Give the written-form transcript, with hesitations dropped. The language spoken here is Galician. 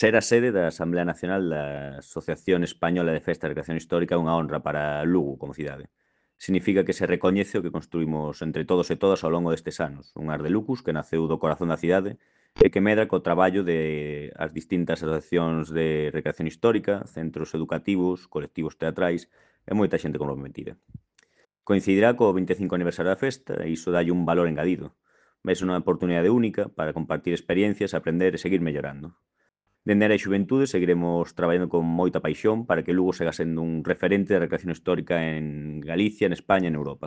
Ser a sede da Asamblea Nacional da Asociación Española de Festa e Recreación Histórica é unha honra para Lugo como cidade. Significa que se recoñece o que construímos entre todos e todas ao longo destes anos, un ar de lucus que naceu do corazón da cidade e que medra co traballo de as distintas asociacións de recreación histórica, centros educativos, colectivos teatrais e moita xente comprometida. Coincidirá co 25 aniversario da festa e iso dalle un valor engadido. Ves unha oportunidade única para compartir experiencias, aprender e seguir mellorando. Dende a xuventude seguiremos traballando con moita paixón para que Lugo siga sendo un referente de recreación histórica en Galicia, en España e en Europa.